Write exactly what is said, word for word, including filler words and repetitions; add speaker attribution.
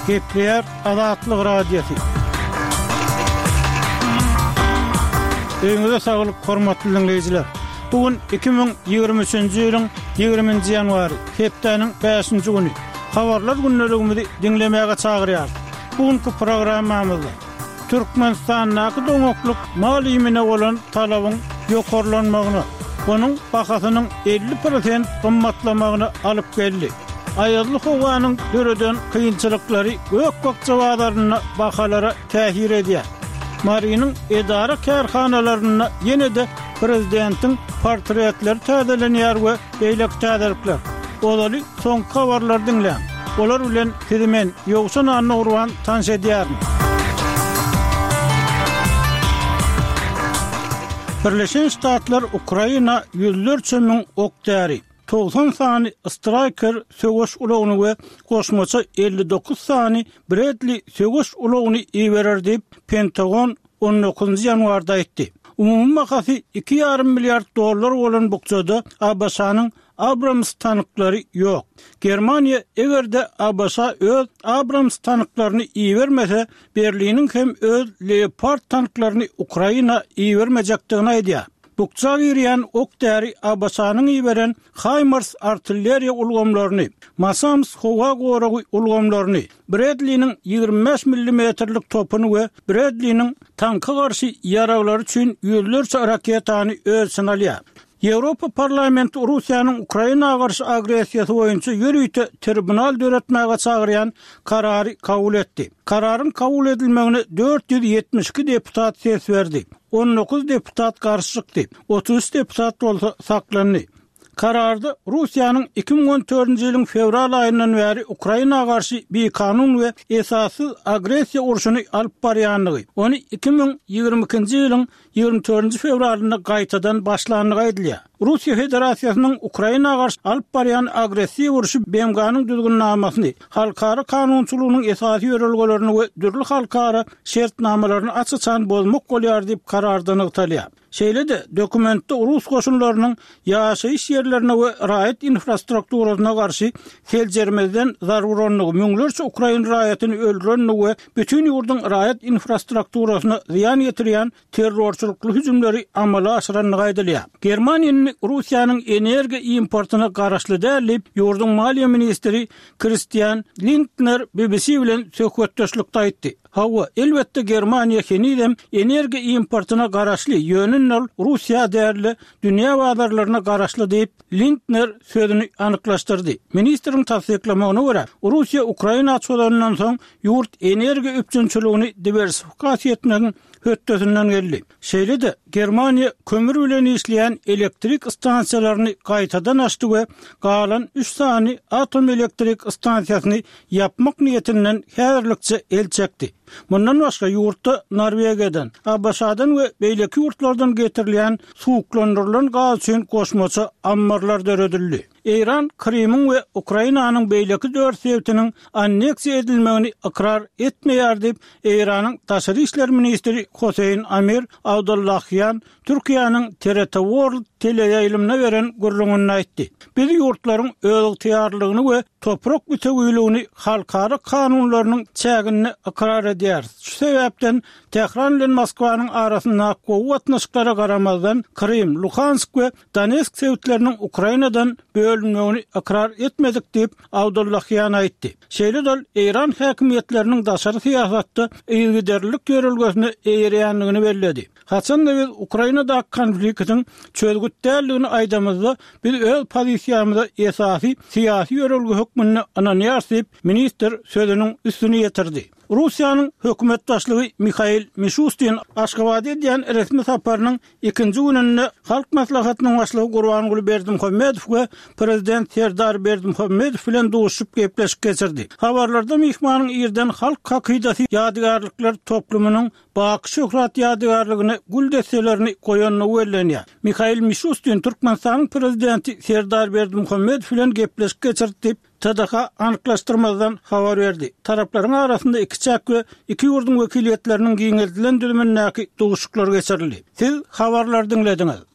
Speaker 1: Gepleýär Azatlyk Radiosy. Öýüňize saglyk, hormatly diňleýjiler. Bu gün iki müň ýigrimi üçünji ýylyň ýigriminji ýanwary, hepdäniň bäşinji güni. Habarlar gündeligimizi diňlemäge çagyrýarys. Bu günki programmamyzda Türkmenistandaky doňaklyk mal iýmine bolan talabyň ýokarlanmagyna, onuň bahasynyň elli prosent gymmatlamagyna alyp geldi. Aýazly howanyň döreden kynçylyklary gök-bakja bazarynda bahalara täsir edýär. Marynyň edara-kärhanalarynda ýene-de prezidentiň portretleri täzelenýär we beýleki täzelikler. Ozaly soňky habarlary diňläň. Olar bilen sizi men, Ýowşan Annagurban tanyş edýärin. Birleşen Ştatlar Ukraina ýüzlerçe müň ok-däri, togsan sany Striker söweş ulagyny we goşmaça elli dokuz sany Bradley söweş ulagyny iberer diýip, Pentagon on dokuzynjy ýanwarda aýtdy. Umumy bahasy iki ýarym milliard dollar bolan bukjada ABŞ-nyň Abrams tanklary ýok. Germaniýa eger-de ABŞ öz Abrams tanklaryny ibermese, Berliniň hem öz Leopard tanklaryny Ukraina ibermejekdigini aýdýar. Bukja girýän ok-däri ABŞ-nyň iberen HIMARS artilleriýa ulgamlaryny, NASAMS howa goragy ulgamlaryny, Bradley-niň ýigrimi bäş millimetrlik topuny we Bradley-niň tanka garşy ýaraglary üçin ýüzlerçe raketany öz içine alýar. Ýewropa Parlamenti Russiýanyň Ukraina garşy agressiýasy boýunça ýörite tribunal döretmäge çagyrýan karary kabul etdi. Kararyň kabul edilmegine dört ýüz ýetmiş iki deputat ses berdi. On dokuz deputat garşy çykdy, otuz üç deputat bolsa saklandy. Kararda Russiýanyň iki müň on dördünji ýylyň fewral aýyndan bäri Ukraina garşy bikanun we esassyz agressiýa urşuny alyp barýandygy, ony iki müň ýigrimi ikinji ýylyň ýigrimi dördünji fewralynda gaýtadan başlandygy aýdylýar. Russiýa Federasiýasynyň Ukraina garşy alyp barýan agressiw urşy B M G-nyň düzgünnamasyny, halkara kanunçylygynyň esasy ýörelgelerini we dürli halkara şertnamalaryny aç-açan bozmak bolýar diýip kararda nygtalýar. Şeýle-de, dokumentde rus goşunlarynyň ýaşaýyş ýerlerine we raýat infrastrukturasyna garşy seljermezden zarurandygy, müňlerçe ukrain raýatyny öldürendigi we bütin ýurduň raýat infrastrukturasyna zyýan ýetirýän terrorçylykly hüjümleri amala aşyrandygy aýdylýar. Germaniýa indi Russiýanyň energiýa importyna garaşly däl diýip, ýurduň maliýe ministri Kristian Lindner B B C bilen söhbetdeşlikde aýtdy. Hawa, elbetde Germaniýa henizem energiýa importyna garaşly, ýöne ol Russiýa däl-de dünýä bazarlaryna garaşly diýip, Lindner sözüni anyklaşdyrdy. Ministriň tassyklamagyna görä, Russiýa Ukraina çozandan soň ýurt energiýa üpjünçiligini diwersifikasiýa etmegiň hötdesinden geldi. Şeýle-de, Germaniýa kömür bilen işleýän elektrik stansiýalaryny gaýtadan açdy we galan üç sany atom elektrik stansiýasyny ýapmak niýetinden häzirlikçe el çekdi. Mundan başga ýurtda Norwegiýadan, A B Ş-dan we beýleki ýurtlardan getirilýän suwuklandyrylan gaz üçin goşmaça ammarlar döredildi. Eýran Krymyň we Ukrainanyň beýleki dört sebitiniň anneksiýa edilmegini ykrar etmeýär diýip, Eýranyň daşary işler ministri Hoseýn Amir Abdullahian Türkiýäniň T R T World teleýaýlymyna beren gürrüňinde aýtdy. Biz ýurtlaryň özygtyýarlygyny we toprak bütewiligini halkara kanunlarynyň çäginde ykrar edýäris. Şu sebäpden Tähran bilen Moskwanyň arasyndaky gowy gatnaşyklara garamazdan Krym, Luhansk we Donetsk sebitleriniň Ukrainadan bölünmegini ykrar etmedik diýip, Abdullahian aýtdy. Şeýle-de ol Eýran häkimiýetleriniň daşary syýasatda yzygiderlilik ýörelgesine eýerýändigini belledi. Haçanda biz Ukrainadaky konfliktiň çözgüt däldigini aýdamyzda, biz öz pozisiýamyza esasy syýasy ýörelge hökmünde ynanýarys diýip, ministr sözüniň üstüni ýetirdi. Russiýanyň hökümet başlygy Mihail Mişustin Aşgabatda edýän resmi saparynyň ikinji gününde Halk Maslahatynyň başlygy Gurbanguly Berdimuhamedow we Prezident Serdar Berdimuhamedow bilen duşuşyp gepleşik geçirdi. Habarlarda myhmanyň irden Halk hakydasy ýadygärlikler toplumynyň Baky şöhrat ýadygärligine gül desselerini goýandygy bellenýär. Mihail Mişustin Türkmenistanyň Prezidenti Serdar Berdimuhamedow bilen gepleşik geçirdi diýip, T D H anyklaşdyrmazdan habar berdi. Taraplaryň arasynda iki çäk we iki ýurduň wekiliýetleriniň giňeldilen düzümindäki duşuşyklar geçirildi. Siz habarlary diňlediňiz.